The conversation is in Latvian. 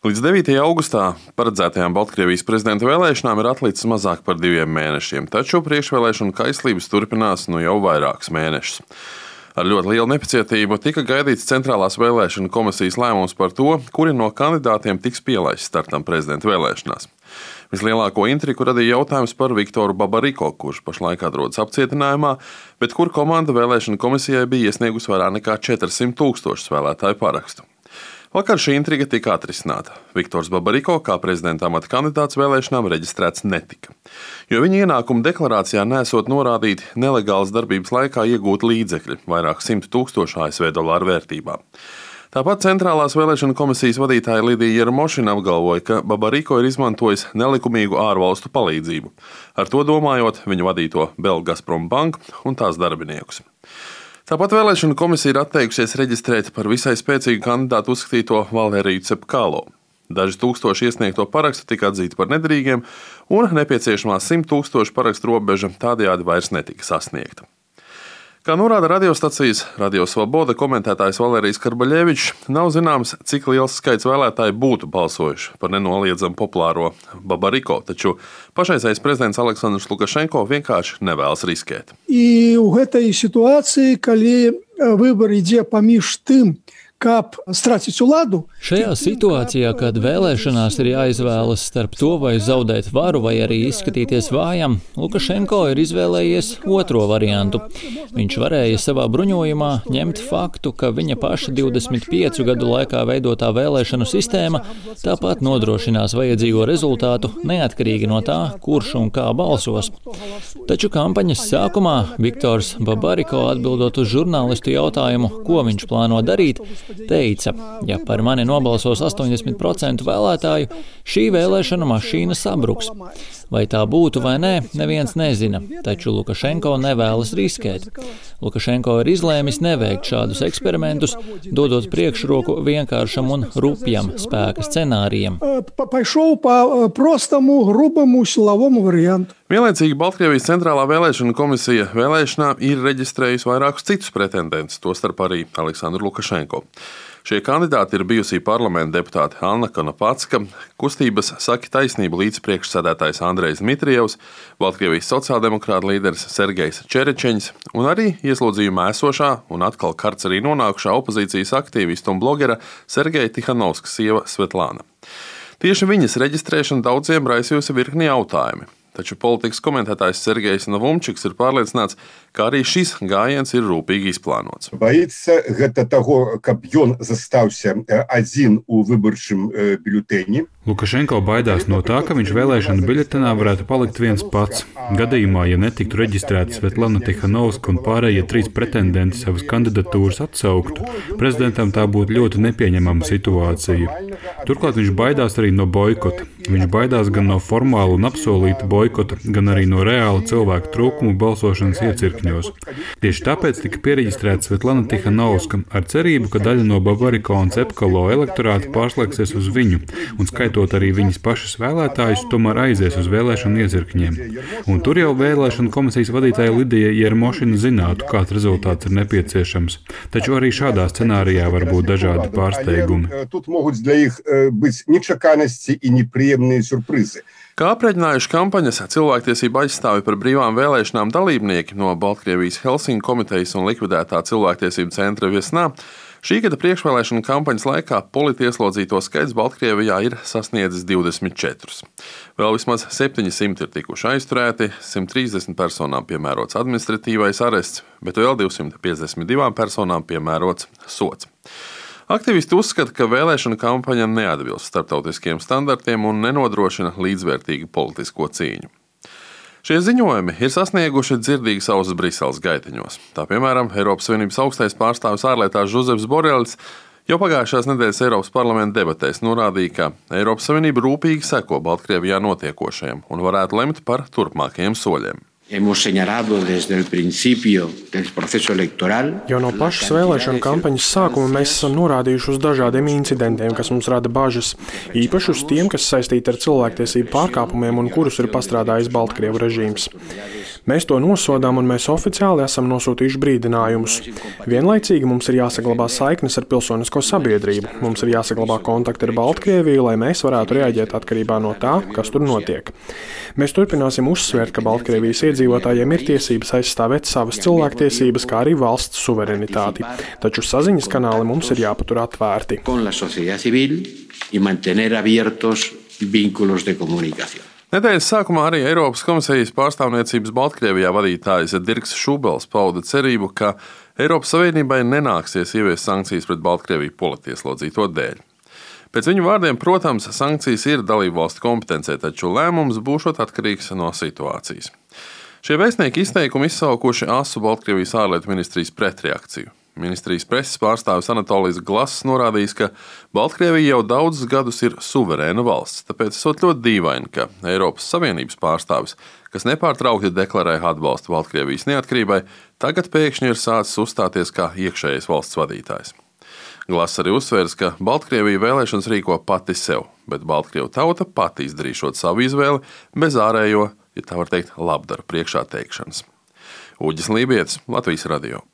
Līdz 9. augustā paredzētajām Baltkrievijas prezidenta vēlēšanām ir atlicis mazāk par 2 mēnešiem, taču priekšvēlēšanu kaislības turpinās jau vairākus mēnešus. Ar ļoti lielu nepacietību tika gaidīts Centrālās vēlēšanu komisijas lēmums par to, kuri no kandidātiem tiks pielaists startam prezidenta vēlēšanās. Vislielāko intrigu radīja jautājums par Viktoru Babariko, kurš pašlaik atrodas apcietinājumā, bet kur komanda vēlēšanu komisijai bija iesniegusi vairāk nekā 400 000 vēlētāju parakstu. Vakar šī intriga tika atrisināta. Viktors Babariko kā prezidenta amata kandidāts vēlēšanām reģistrēts netika, jo viņa ienākuma deklarācijā nesot norādīti nelegālas darbības laikā iegūti līdzekļi vairāk 100 000 ASV dolāru vērtībā. Tāpat Centrālās vēlēšanu komisijas vadītāja Lidija Jermošina apgalvoja, ka Babariko ir izmantojis nelikumīgu ārvalstu palīdzību, ar to domājot viņu vadīto Belgazprom banku un tās darbiniekus. Tāpat vēlēšanu komisija ir atteikusies reģistrēt par visai spēcīgu kandidātu uzskatīto Valēriju Cepkalo. Daži tūkstoši iesniegto parakstu tika atzīti par nederīgiem, un nepieciešamā 100 000 parakstu robeža tādējādi vairs netika sasniegta. Kā norāda radiostacijas Radio Svoboda komentētājs Valērijas Karbaļevičs, nav zināms, cik liels skaits vēlētāju būtu balsojuši par nenoliedzamu populāro Babariko, taču pašreizējais prezidents Aleksandrs Lukašenko vienkārši nevēlas riskēt. И у этой ситуации, коли выбор ідзе паміж тым, kap stracić uладу. Šajā situācijā, kad vēlēšanās ir jāizvēlas starp to, vai zaudēt varu, vai arī izskatīties vājam, Lukašenko ir izvēlējies otro variantu. Viņš varēja savā bruņojumā ņemt faktu, ka viņa paša 25 gadu laikā veidotā vēlēšanu sistēma tāpat nodrošinās vajadzīgo rezultātu neatkarīgi no tā, kurš un kā balsos. Taču kampaņas sākumā Viktors Babariko, atbildot uz žurnālistu jautājumu, ko viņš plāno darīt, teica, ja par mani nobalsos 80% vēlētāju, šī vēlēšana mašīna sabruks. Vai tā būtu vai nē, neviens nezina, taču Lukašenko nevēlas riskēt. Lukašenko ir izlēmis neveikt šādus eksperimentus, dodot priekšroku vienkāršam un rupjam spēka scenārijam. Vienlaicīgi Baltkrievijas Centrālā vēlēšana komisija vēlēšanā ir reģistrējusi vairākus citus pretendentus, tostarp arī Aleksandru Lukašenko. Šie kandidāti ir bijusī parlamenta deputāte Anna Konopatska, kustības Saki taisnību līdzpriekšsēdētājs Andrejs Dmitrijevs, Baltkrievijas sociāldemokrāta līderis Sergejs Čerečeņs un arī ieslodzījumā esošā un atkal karcerī nonākušā opozīcijas aktīvista un blogera Sergeja Tihanovskas sieva Svetlāna. Tieši viņas reģistrēšana daudziem raisījusi virkni jautājumi. Taču politikas komentētājs Sergejs Novumčiks ir pārliecināts, ka arī šis gājiens ir rūpīgi izplānots. Боится гэта таго, каб ён застаўся адзін у выбарчым бюлетені. Lukašenko baidās no tā, ka viņš vēlēšanu biļetenā varētu palikt viens pats. Gadījumā, ja netiktu reģistrēta Svetlana Tihanovska un pārējie 3 pretendenti savas kandidatūras atsauktu, prezidentam tā būtu ļoti nepieņemama situācija. Turklāt viņš baidās arī no boikota. Viņš baidās gan no formāla un apsolīta boikota, gan arī no reāla cilvēku trūkumu balsošanas iecirkņos. Tieši tāpēc tika piereģistrēta Svetlana Tihanovska ar cerību, ka daļa no Babariko un Cepkalo elektorāta pārslēgsies uz viņu un skaitot arī viņas pašas vēlētājus, tomēr aizies uz vēlēšanu iecirkņiem. Un tur jau vēlēšanu komisijas vadītāja Lidija Jermošina zinātu, kāds rezultāts ir nepieciešams. Taču arī šādā scenārijā var būt dažādi pārsteigumi. Тут могут для их быть нечаканности и неприемные сюрпризы. Kā aprēķinājuši kampaņas cilvēktiesību aizstāvi par brīvām vēlēšanām dalībnieki no Baltkrievijas Helsinku komitejas un likvidētā cilvēktiesību centra Viesnā, šī gada priekšvēlēšana kampaņas laikā politieslodzīto skaits Baltkrievijā ir sasniedzis 24. Vēl vismaz 700 ir tikuši aizturēti, 130 personām piemērots administratīvais arests, bet vēl 252 personām piemērots sods. Aktivisti uzskata, ka vēlēšana kampaņa neatbilst starptautiskiem standartiem un nenodrošina līdzvērtīgu politisko cīņu. Šie ziņojumi ir sasnieguši dzirdīgas ausis Briseles gaiteņos. Tā piemēram, Eiropas Savienības augstais pārstāvis ārlietās Žozeps Borelis jau pagājušās nedēļas Eiropas parlamenta debatēs norādīja, ka Eiropas Savienība rūpīgi seko Baltkrievijā notiekošajam un varētu lemt par turpmākajiem soļiem. Jau no pašas vēlēšanu kampaņas sākuma mēs esam norādījuši uz dažādiem incidentiem, kas mums rada bažas, īpaši uz tiem, kas saistīti ar cilvēktiesību pārkāpumiem un kurus ir pastrādājis Baltkrievu režīms. Mēs to nosodām un mēs oficiāli esam nosūtījuši brīdinājumus. Vienlaicīgi mums ir jāsaglabā saiknes ar pilsonisko sabiedrību. Mums ir jāsaglabā kontakti ar Baltkrieviju, lai mēs varētu reaģēt atkarībā no tā, kas tur notiek. Mēs turpināsim uzsvērt, ka Baltkrievijas iedzīvotājiem ir tiesības aizstāvēt savas cilvēktiesības, kā arī valsts suverenitāti. Taču saziņas kanāli mums ir jāpatur atvērti. Nedēļas sākumā arī Eiropas komisijas pārstāvniecības Baltkrievijā vadītājs Dirks Šubels pauda cerību, ka Eiropas Savienībai nenāksies ieviest sankcijas pret Baltkrieviju politieslodzīto dēļ. Pēc viņu vārdiem, protams, sankcijas ir dalībvalstu kompetencē, taču lēmums būšot atkarīgs no situācijas. Šie vēstnieki izteikumi izsaukuši asu Baltkrievijas ārlietu ministrijas pretreakciju. Ministrijas preses pārstāvis Anatolijs Glass norādījis, ka Baltkrievija jau daudzus gadus ir suverēna valsts, tāpēc esot ļoti dīvaini, ka Eiropas Savienības pārstāvis, kas nepārtraukti deklarē atbalstu Baltkrievijas neatkarībai, tagad pēkšņi ir sācis uzstāties kā iekšējais valsts vadītājs. Glass arī uzsvērs, ka Baltkrievija vēlēšanas rīko pati sev, bet Baltkrievu tauta pati izdarīšot savu izvēli bez ārējo, ja tā var teikt, labdaru priekšā teikšanas. Uģis Lībietis, Latvijas radio.